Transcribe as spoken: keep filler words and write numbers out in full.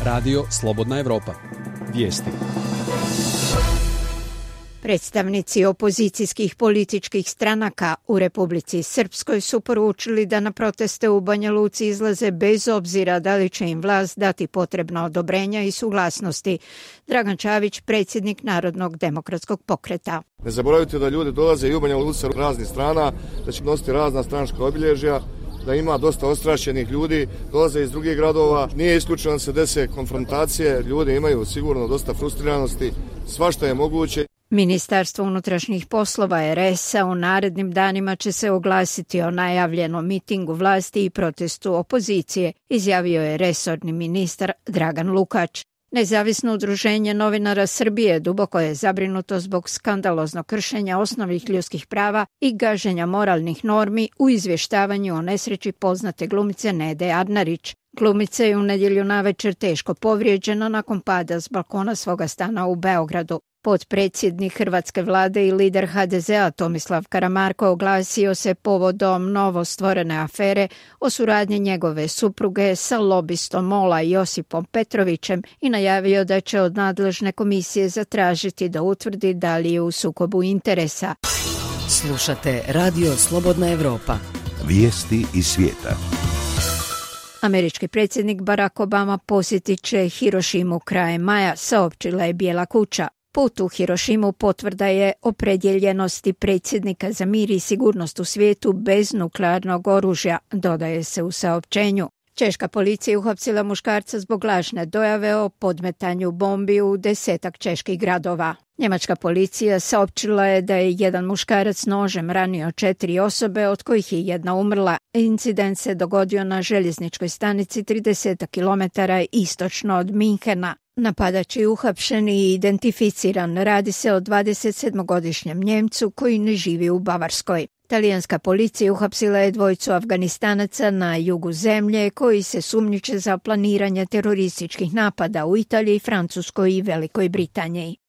Radio Slobodna Evropa. Vijesti. Predstavnici opozicijskih političkih stranaka u Republici Srpskoj su poručili da na proteste u Banja Luci izlaze bez obzira da li će im vlast dati potrebna odobrenja i suglasnosti. Dragan Čavić, predsjednik Narodnog demokratskog pokreta. Ne zaboravite da ljudi dolaze i u Banja Luci raznih strana, da će nositi razna stranačka obilježja, da ima dosta ostrašćenih ljudi, dolaze iz drugih gradova. Nije isključeno da se dese konfrontacije, ljudi imaju sigurno dosta frustriranosti, svašta je moguće. Ministarstvo unutrašnjih poslova er es-a u narednim danima će se oglasiti o najavljenom mitingu vlasti i protestu opozicije, izjavio je resorni ministar Dragan Lukač. Nezavisno udruženje novinara Srbije duboko je zabrinuto zbog skandaloznog kršenja osnovnih ljudskih prava i gaženja moralnih normi u izvještavanju o nesreći poznate glumice Nede Arnarić. Glumica je u nedjelju navečer teško povrijeđena nakon pada s balkona svoga stana u Beogradu. Potpredsjednik hrvatske vlade i lider ha de ze a Tomislav Karamarko oglasio se povodom novostvorene afere o suradnji njegove supruge sa lobistom MOL-a Josipom Petrovićem i najavio da će od nadležne komisije zatražiti da utvrdi da li je u sukobu interesa. Slušate Radio Slobodna Evropa. Vijesti iz svijeta. Američki predsjednik Barack Obama posjetit će Hirošimu krajem maja, saopćila je Bijela kuća. Put u Hirošimu potvrda je opredjeljenosti predsjednika za mir i sigurnost u svijetu bez nuklearnog oružja, dodaje se u saopćenju. Češka policija uhapsila muškarca zbog lažne dojave o podmetanju bombi u desetak čeških gradova. Njemačka policija saopćila je da je jedan muškarac nožem ranio četiri osobe, od kojih je jedna umrla. Incident se dogodio na željezničkoj stanici trideset kilometara istočno od Minhena. Napadač je uhapšen i identificiran. Radi se o dvadesetsedmogodišnjem Njemcu koji ne živi u Bavarskoj. Talijanska policija uhapsila je dvojicu Afganistanaca na jugu zemlje koji se sumnjiče za planiranje terorističkih napada u Italiji, Francuskoj i Velikoj Britaniji.